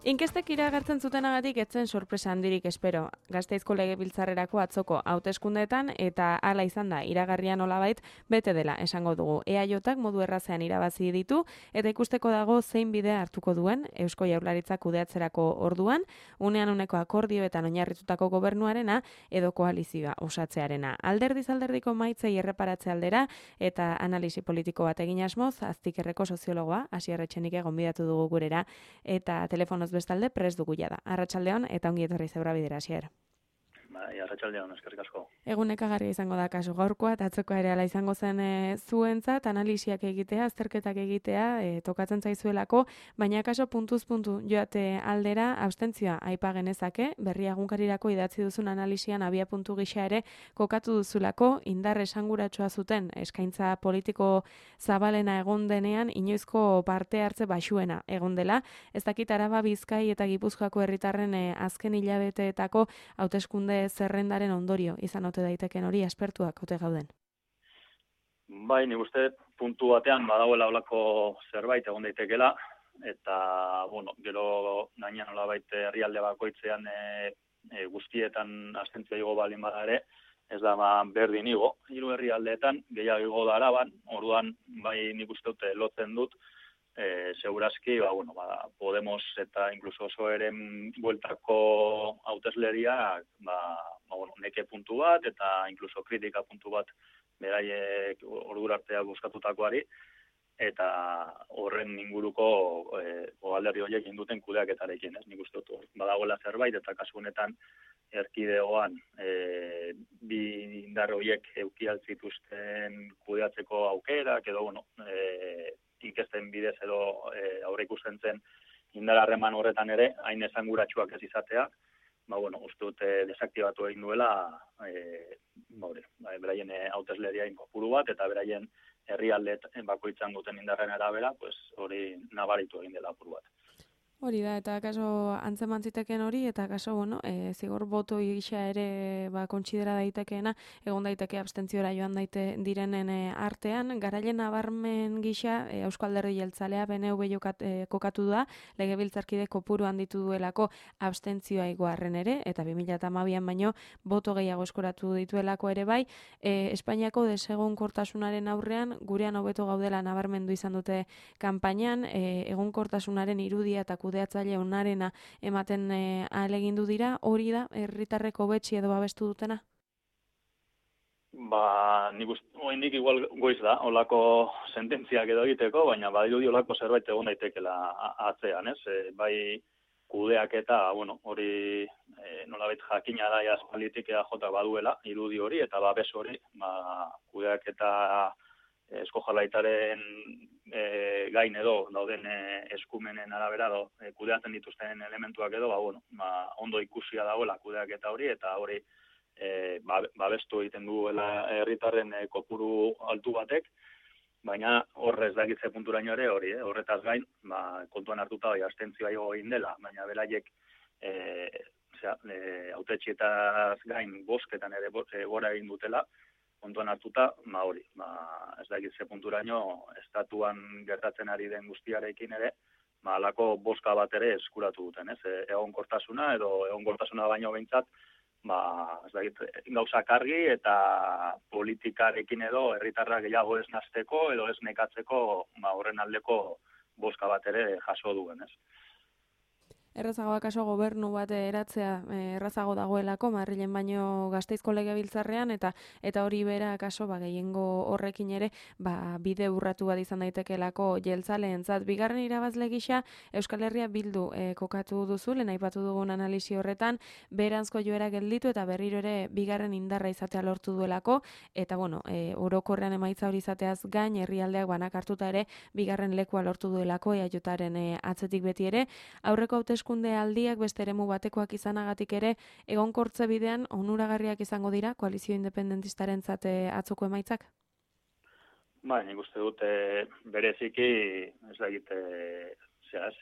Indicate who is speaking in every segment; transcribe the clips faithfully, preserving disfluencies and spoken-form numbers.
Speaker 1: Inkestek iragartzen zutenagatik etzen sorpresa handirik espero. Gasteizko legebiltzarrerako atzoko hauteskundeetan eta hala izan da iragarria nolabait bete dela esango dugu. E A Jk modu errazean irabazi ditu eta ikusteko dago zein bidea hartuko duen Eusko Jaurlaritzak kudeatzerako orduan, unean uneko akordioetan oinarritutako gobernuarena edo koalizioa osatzearena. Alderdiz alderdiko maitzei erreparatze aldera eta analisi politiko bat egin asmoz, Aztikerreko soziologoa Asier Etxenike gonbidatu dugu gurera eta telefonoz bestalde prest dugu jada. Arratsaldeon eta ongi etorri Zeura Bidera, Asier.
Speaker 2: Bai, arratsaldeon, eskerrik asko.
Speaker 1: Egunekagarria izango da kasu gaurkoa, eta atzokoa ere ala izango zen e, zuentzat, analisiak egitea, azterketak egitea, e, tokatzen zaizuelako, baina kaso puntuz puntu joate aldera, abstentzioa aipa genezake, berria egunkarirako idatzi duzun analisian abia puntu gisa ere kokatu duzulako, indar esanguratsua zuten eskaintza politiko zabalena egon denean, inoizko parte hartze baxuena egon dela, ez dakit Araba, Bizkai eta Gipuzkoako herritarren e, azken hilabeteetako hauteskunde zerrendaren ondorio izan ote daiteken hori aspertuak ote gauden.
Speaker 2: Bai, nik uste puntu batean badagoela holako zerbait egon daitekela eta bueno, gero gaina nolabait herrialde bakoitzean e, e, guztietan abstentzioa igo balin bada ere, ez da ba, berdin igo. Hiru herrialdeetan gehiago igo da Araban, orduan bai nik uste dut lotzen dut Eh, segurazki, ba, bueno, ba, Podemos eta incluso oso eren bueltako hautesleria, ba, ba, bueno, neke puntu bat eta incluso kritika puntu bat beraiek ordura artea bozkatutakoari, eta horren inguruko eh, alderdi horiek induten kudeaketarekin, ez? Nik uste dut badagoela zerbait, eta kasu honetan erkidegoan eh, bi indar horiek eduki altzituzten kudeatzeko aukerak, edo, bueno, eh, inkesten bidez edo e, aurre ikusten zen indar harreman horretan ere, hain esanguratsuak ez izatea, ba, bueno, uste dute desaktibatu egin duela, e, ba, ba, beraien hautesleria kopuru bat, eta beraien herrialde bakoitzan duten indarren arabera, pues, hori nabaritu egin dela apur bat.
Speaker 1: Hori da, eta kaso antzeman ziteken hori, eta kaso, bueno, e, zigor boto gisa ere ba, kontsidera daitekeena, egon daiteke abstentziora joan daite direnen e, artean, garailen nabarmen gisa, e, Eusko Alderdi Jeltzalea B N V jokat, e, kokatu da, legebiltzarkide kopuru handitu duelako abstentzioa igoarren ere, eta bi mila hamabian baino boto gehiago eskoratu dituelako ere bai, e, Espainiako desegonkortasunaren aurrean, gurean hobeto gaudela nabarmendu izan dute kanpainan, e, egonkortasunaren irudia eta kudeatzaile onarena ematen e, ahalegindu dira, hori da herritarreko betxi edo babestu dutena?
Speaker 2: Ba, nik uste, oraindik igual goiz da, olako sententziak edo egiteko, baina badirudi olako zerbait egon daitekela atzean, ez? E, bai kudeak eta, bueno, hori e, nolabait jakina da aspalditik E A J baduela, irudi hori eta babes hori, ba, kudeak eta Eusko Jaurlaritzaren e, gain edo dauden e, eskumenen arabera edo e, kudeatzen dituzten elementuak edo, ba, bueno, ba, ondo ikusia dagoela kudeak eta hori, eta hori e, babestu egiten duela herritarren e, kopuru altu batek, baina horrez dakitze punturaino ere hori, eh? Horretaz gain, ba, kontuan hartuta bai abstentzioa igo egin dela, baina beraiek e, e, hautetxietaz gain bozketan ere e, gora egin dutela, kontuan hartuta, ba hori, ba, ez dakit ze punturaino estatuan gertatzen ari den guztiarekin ere, ba, alako bozka bat ere eskuratu duten, ez? E, egonkortasuna edo egonkortasuna baino behintzat, ba, ez dakit, gauzak argi eta politikarekin edo herritarrak gehiago ez nasteko edo ez nekatzeko, ba, horren aldeko bozka bat ere jaso duen, ez?
Speaker 1: Errazago akaso gobernu bat eratzea errazago dagoelako Madrilen baino Gasteizko legebiltzarrean eta eta hori bera akaso ba gehiengo horrekin ere ba bide urratu bat izan daitekelako jeltzaleentzat. Bigarren irabazle gisa Euskal Herria Bildu e, kokatu duzu, lehen aipatu dugun analisi horretan, beranzko joera gelditu eta berriro ere bigarren indarra izatea lortu duelako eta bueno, e, orokorrean emaitza hori izateaz gain herrialdeak banak hartuta ere bigarren lekua lortu duelako E A Jaren e, atzetik beti ere aurreko hauteskunde hauteskunde aldiak beste eremu batekoak izanagatik ere egonkortze bidean onuragarriak izango dira koalizio independentistarentzat atzoko emaitzak?
Speaker 2: Ba, nik uste dut e, bereziki, ez da egite, zera,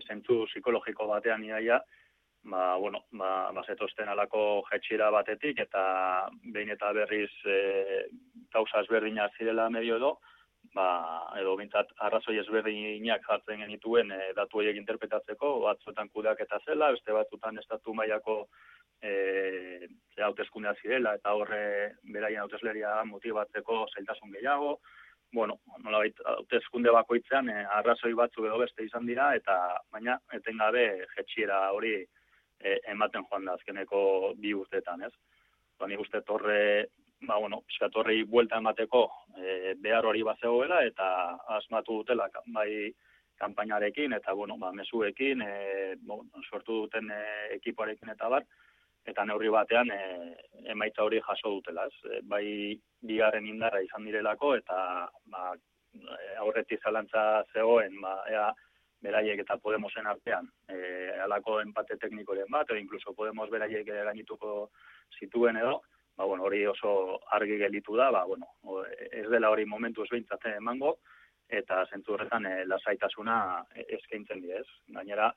Speaker 2: zentzu psikologiko batean iaia, ba, bueno, ba, bazetozten alako jetxira batetik, eta behin eta berriz e, gauza ezberdinak zirela medio edo, ba, edo bintzat arrazoi ezberdinak jartzen genituen e, datu horiek interpretatzeko, batzuetan kudeaketa zela, beste batzuetan estatu mailako e, hauteskundeak zirela, eta horre beraien hautesleria motibatzeko zailtasun gehiago. Bueno, nolabait hauteskunde bakoitzean e, arrazoi batzuk edo beste izan dira, eta baina etengabe jetxiera hori e, ematen joan da azkeneko bi urteetan, ez? Ba, nik uste torre, ba, bueno, piskatorrei buelta emateko e, behar hori bat zegoela, eta asmatu dutela bai kanpainarekin, eta, bueno, ba, mezuekin, e, bon, sortu duten e, ekipoarekin eta bar, eta neurri batean e, emaitza hori jaso dutela, ez? E, bai bigarren indarra izan direlako, eta ba, aurretik zalantza zegoen, ba, ea, beraiek eta Podemosen artean, e, alako empate teknikoren bat, edo inkluso Podemos beraiek gainituko zituen edo, ba, bueno, hori oso argi gelditu da, ba, bueno, ez dela hori momentuz behintzat emango, eta zentzu horretan e, lasaitasuna eskaintzen die, ez? Gainera,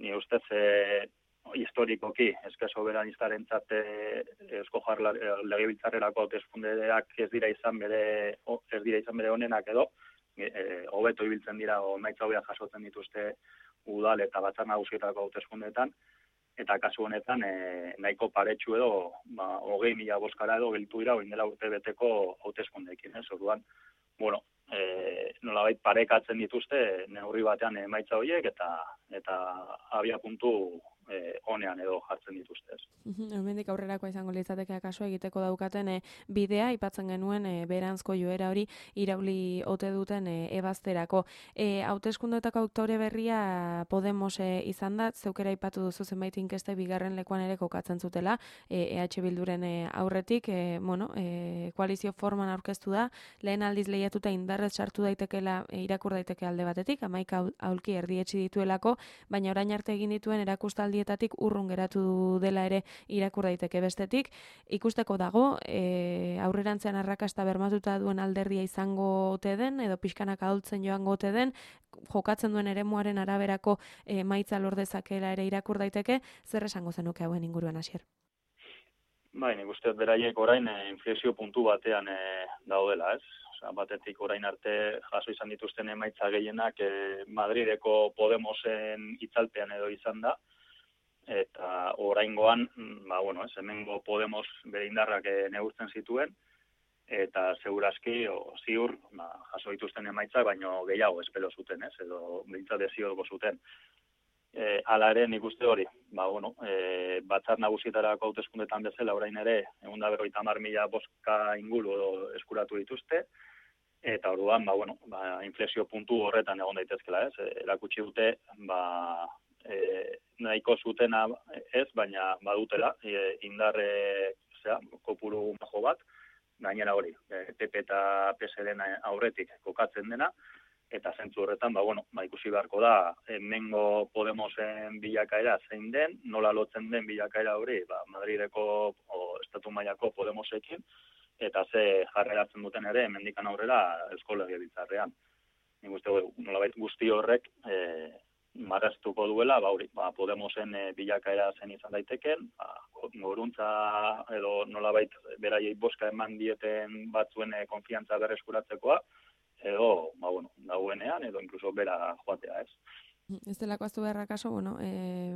Speaker 2: ni ustez e, historikoki, eske soberanistarentzatt Eusko Legebiltzarrerako hauteskundeak ez dira izan bere ez dira izan bere honenak edo hobeto e, ibiltzen dira o emaitza hobeak jasotzen dituzte udal eta batzar nagusietako hauteskundeetan, eta kasu honetan e, nahiko paretsu edo ba, hogei mila boskara edo gelditu dira orain dela urte beteko hauteskundeekin, ez? Orduan, bueno, e, nolabait parekatzen dituzte neurri batean emaitza horiek eta eta abia puntu eh, honean edo jartzen dituzte.
Speaker 1: Hemendik aurrerakoa izango litzateke akaso egiteko daukaten e, bidea aipatzen genuen e, beranzko joera hori irauli ote duten e, ebazterako. E, hauteskundeetako aktore berria Podemos e, izan da, zeukera aipatu duzu zenbait inkeste bigarren lekuan ere kokatzen zutela, e, EH Bilduren e, aurretik, e, bueno, e, koalizio forman aurkeztu da, lehen aldiz lehiatuta indarrez sartu daitekela e, irakur daiteke alde batetik, hamaika aulki erdietsi dituelako, baina orain arte egin dituen erakustaldietatik urrun geratu dela ere irakur daiteke bestetik. Ikusteko dago, e, aurrerantzean arrakasta bermatuta duen alderdia izango ote den, edo pixkanak ahultzen joango ote den, jokatzen duen eremuaren araberako e, maitza lor dezakela ere irakur daiteke, zer esango zenuke hauen inguruan, Asier?
Speaker 2: Bai, nik uste beraien orain e, inflexio puntu batean e, daudela, ez? Osea, batetik orain arte jaso izan dituzten emaitza gehienak e, Madrideko Podemosen itzalpean edo izan da, eta oraingoan, ba, bueno, ez, hemengo Podemos bere indarrak e, neurtzen zituen, eta segurazki, o, ziur, ba, jaso dituzten emaitzak, baino gehiago espero zuten, ez, edo behintzat desioko zuten. E, ala ere, nik uste hori, ba, bueno, e, batzar nagusietarako hauteskundetan bezala orain ere, egun da berroita hamar mila boska inguru edo eskuratu dituzte, eta orduan, ba, bueno, ba, inflexio puntu horretan egon daitezkela, ez, e, erakutsi dute, ba, e, nahiko zutena ez, baina badutela, e, indarre, zera, kopuru majo bat, gainera hori, e, P P eta P S D-en aurretik kokatzen dena, eta zentzu horretan, ba, bueno, ba, ikusi beharko da, hemengo Podemosen bilakaera zein den, nola lotzen den bilakaera hori, ba, Madrideko o estatu mailako Podemosekin, eta ze jarreratzen duten ere, hemendikan aurrera Eusko Legebiltzarrean. Nik uste, nolabait guzti horrek, e, marraztuko duela, ba, hori, ba, Podemosen e, bilakaera zen izan daiteken, ba, goruntza edo nolabait beraiei boska eman dieten batzuen e, konfiantza berreskuratzekoa, edo, ba, bueno, dagoenean, edo inkluso bera joatea, ez.
Speaker 1: Ez delako aztu beharra kaso, bueno, e,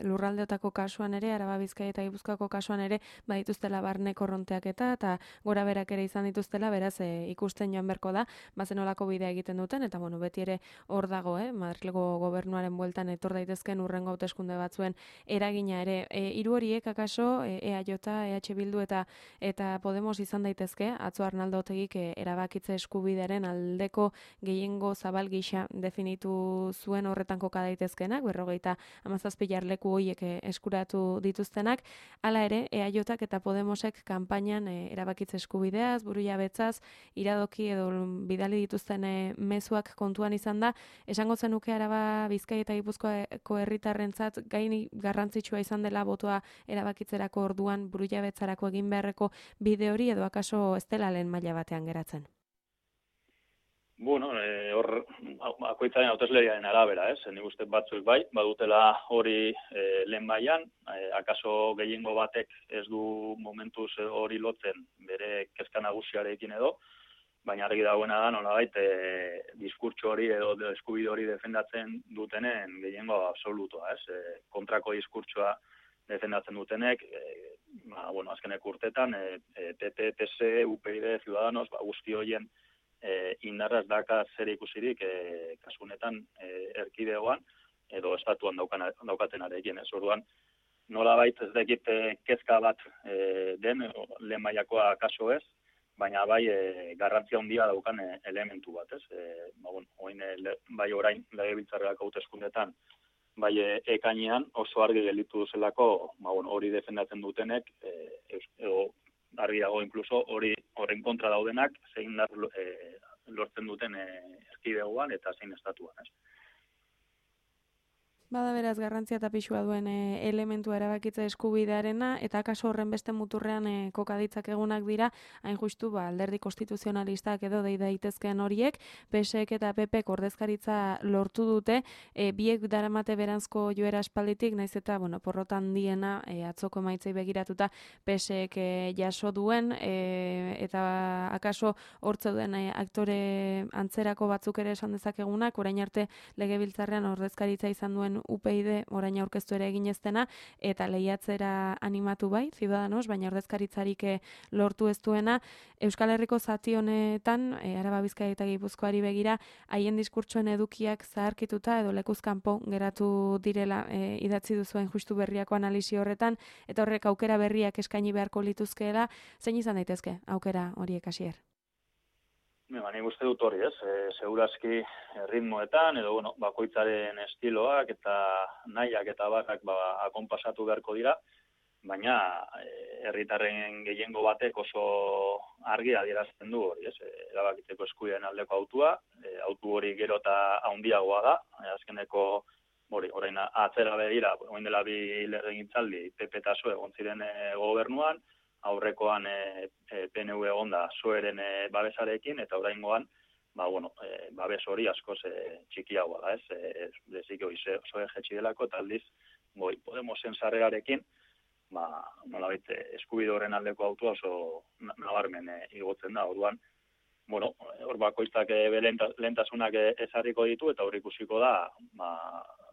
Speaker 1: lurraldeotako kasuan ere, Araba, Bizkaia eta Gipuzkoako kasuan ere, badituztela barne korronteak eta, eta gora berak ere izan dituztela, beraz, e, ikusten joan berko da, bazen olako bidea egiten duten, eta, bueno, beti ere hor dago, eh, Madrilgo gobernuaren bueltan etor daitezken urrengo hauteskunde batzuen eragina ere. E, hiru horiek akaso, e, EAJ, EH Bildu eta eta Podemos izan daitezke, atzo Arnaldo Otegik e, erabakitze eskubidearen aldeko gehiengo zabal gisa definitu zuen horretan koka daitezkenak, berrogeita hamazazpi jarleku horiek eskuratu dituztenak, hala ere, EAJak eta Podemosek kanpainan e, erabakitze eskubideaz, burujabetzaz, iradoki edo bidali dituzten e, mezuak kontuan izan da, esango zenuke Araba, Bizkaia eta Gipuzkoako herritarrentzat gaini garrantzitsua izan dela botoa erabakitzerako orduan burujabetzarako egin beharreko bide hori edo akaso ez dela lehen maila batean geratzen?
Speaker 2: Bueno, e, hor, akoitzaren hautesleriaren arabera, ez? Nik uste batzuk bai, badutela hori e, lehen mailan, e, akaso gehiengo batek ez du momentuz hori lotzen bere kezka nagusiarekin edo, baina argi dagoena da nolabait e, diskurtso hori edo eskubide hori defendatzen dutenen gehiengo absolutoa, ez? E, kontrako diskurtsoa defendatzen dutenek, e, ba, bueno, azkenek urtetan, e, e, P P, P S, U P Y, Ciudadanos, ba, guzti horien e, indarraz daka zer ikusirik e, kasunetan e, erkidegoan edo estatuan daukan, daukatenarekin, ez? Orduan, nolabait ez dakit e, kezka bat e, den, lehen mailakoa kaso ez, baina bai e, garrantzia handia daukan e, elementu bat, ez? E, ba, bueno, oin, e, bai orain legebiltzarrerako hauteskundetan, bai e, ekainean oso argi gelditu zelako, ba, bueno, hori defendatzen dutenek, e, edo argi dago inkluso hori horren kontra daudenak zein dar e, lortzen duten e, erkidegoan eta zein estatuan, ez?
Speaker 1: Bada beraz garrantzia eta pisua duen e, elementua erabakitze eskubidearena eta kaso horren beste muturrean e, kokaditzak egunak dira, hain justu ba, alderdi konstituzionalistak edo dei daitezkeen horiek, P S ek eta P P ek ordezkaritza lortu dute, e, biek daramate beranzko joera aspalditik, naiz eta bueno, porrotan diena e, atzoko emaitzei begiratuta P S ek e, jaso duen, e, eta akaso hortze duen e, aktore antzerako batzuk ere esan dezakegunak, orain arte legebiltzarrean ordezkaritza izan duen U P Y D orain aurkeztu ere egin ez dena eta lehiatzera animatu bai, Ciudadanos, baina ordezkaritzarik lortu ez duena. Euskal Herriko zati honetan, e, Araba, Bizkaia eta Gipuzkoari begira, haien diskurtsoen edukiak zaharkituta edo lekuz kanpo geratu direla e, idatzi duzuen justu berriako analisi horretan, eta horrek aukera berriak eskaini beharko lituzkeela, zein izan daitezke aukera horiek hasier?
Speaker 2: Ba, nik uste dut hori, ez? E, segurazki ritmoetan, edo, bueno, bakoitzaren estiloak eta nahiak eta barrak ba, akonpasatu beharko dira, baina herritarren gehiengo batek oso argi adierazten du hori, ez? E, erabakitzeko eskubideen aldeko autua, e, autu hori gero eta handiagoa da, e, azkeneko hori, orain atzera begira, orain dela bi legegintzaldi P P eta P S O E egon ziren e, gobernuan, aurrekoan e, e, P N V egonda P S O E-ren e, babesarekin, eta oraingoan, ba, bueno, e, babes hori askoz e, txikiagoa da, ez? E, Bezik hori P S O E jetxi delako, eta aldiz, goi, Podemosen sarrerarekin, ba, nolabait, eskubide horren aldeko autua oso nabarmen e, igotzen da, orduan, bueno, hor bakoitzak e, lehentasunak e, ezarriko ditu, eta hor ikusiko da, ba,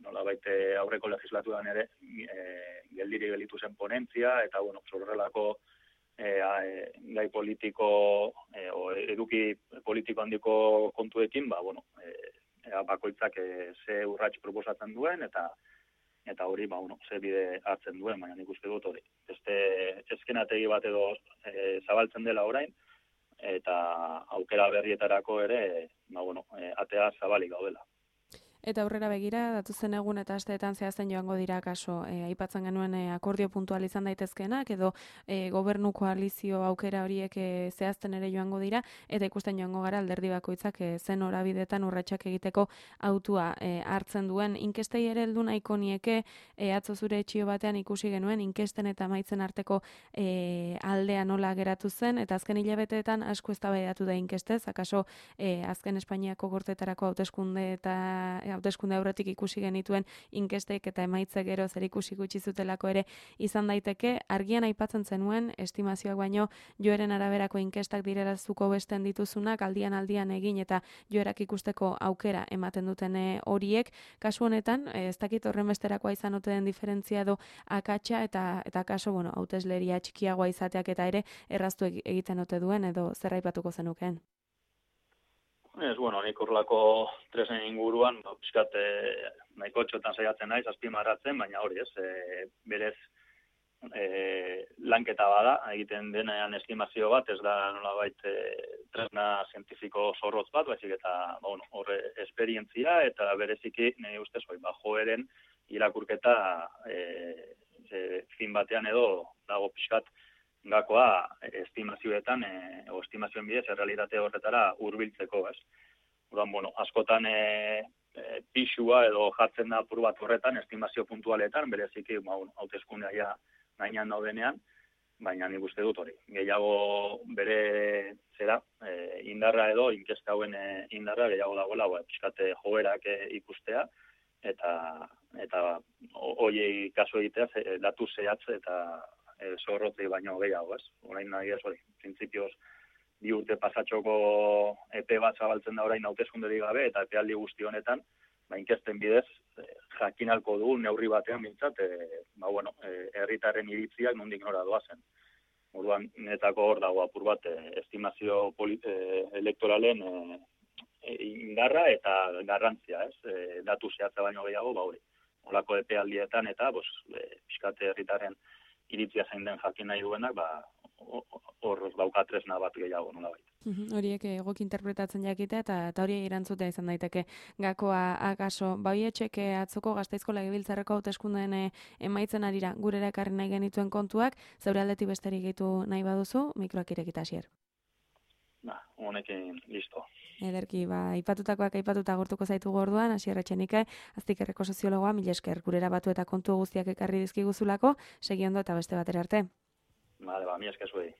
Speaker 2: nolabait aurreko legislaturan ere e, geldiri gelitu zen ponentzia, eta, bueno, horrelako E, e, gai politiko e, o eduki politiko handiko kontuekin, ba, bueno, e, bakoitzak e, ze urrats proposatzen duen, eta eta hori, ba, bueno, ze bide hartzen duen, baina nik uste dut hori. Beste eskenategi bat edo e, zabaltzen dela orain, eta aukera berrietarako ere, ba, bueno, e, atea zabalik gaudela.
Speaker 1: Eta aurrera begira, datuzen egun eta asteetan zehazten joango dira kaso, e, aipatzen genuen e, akordio puntual izan daitezkeenak, edo e, gobernu koalizio aukera horiek e, zehazten ere joango dira, eta ikusten joango gara alderdi bakoitzak e, zen horabidetan urratsak egiteko autua e, hartzen duen. Inkestei ere heldu nahiko nieke, e, atzo zure etxio batean ikusi genuen, inkesten eta maitzen arteko e, aldea nola geratu zen, eta azken hilabeteetan asko eztabaidatu da inkestez, akaso e, azken Espainiako gorteetarako hauteskunde eta hauteskunde aurretik ikusi genituen inkestek eta emaitzek gero zer ikusi gutxi zutelako ere izan daiteke. Argian aipatzen zenuen, estimazioak baino joeren araberako inkestak direlazuko besten dituzunak, aldian aldian egin eta joerak ikusteko aukera ematen duten horiek. Kasu honetan, ez dakit horren besterakoa izan ote den diferentzia edo akatsa eta eta kaso, bueno, hautesleria txikiagoa izateak eta ere erraztu egiten ote duen edo zer aipatuko zenukeen?
Speaker 2: Ez, bueno, nik urlako tresen inguruan, ba, pixkat, e, nahiko txotan saiatzen naiz, azpimarratzen, baina hori ez, e, berez e, lanketa bada, egiten denean estimazio bat, ez da nolabait e, tresna zientifiko zorrotz bat, baizik eta, ba, bueno, horre esperientzia, eta bereziki, nahi ustez, bai, ba, joeren irakurketa e, e, fin batean edo dago pixkat, gakoa estimazioetan, e, o estimazioen bidez, errealitate horretara hurbiltzeko, ez. Orduan, bueno, askotan e, e, pixua edo jartzen da apur bat horretan, estimazio puntualetan, bereziki, ba, hauteskundea ja gainean daudenean, baina nik uste dut hori. Gehiago bere zera, e, indarra edo, inkesta hauen e, indarra, gehiago dagoela, ba, pixkate joerak e, ikustea, eta eta hoiei kaso egitea, e, datu zehatz eta e, zorrotzei baino gehiago, ez? Orain nahi ez hori, printzipioz bi urte pasatxoko epe bat zabaltzen da orain hauteskunderik gabe, eta epealdi guzti honetan, ba, inkesten bidez, jakinalko dugu neurri batean mintzat, e, ba, bueno, e, herritarren iritziak nondik nora doazen. Orduan, netako hor dago apur bat, e, estimazio polit, e, elektoralen e, e, indarra eta garrantzia, ez? E, datu zehatza baino gehiago, ba hori. Olako epealdietan eta, bos, e, pixkate herritarren iritzia zein den jakin nahi duenak, ba, hor dauka tresna bat gehiago nola baita.
Speaker 1: Horiek egok interpretatzen jakite eta eta hori erantzutea izan daiteke gakoa akaso. Baietxek atzoko Gasteizko Legebiltzarreko hauteskundeen emaitzen arira gurera ekarri nahi genituen kontuak, zeure aldetik besterik gehitu nahi baduzu, mikroak irekita hasier.
Speaker 2: Ba, honekin listo.
Speaker 1: Ederki, ba, aipatutakoak aipatuta agurtuko zaitu gorduan, Asier Etxenike, Aztikerreko soziologoa, mila esker gurera batu eta kontu guztiak ekarri dizkiguzulako, segi ondo eta beste batera arte.
Speaker 2: Vale, ba, mila esker zuei.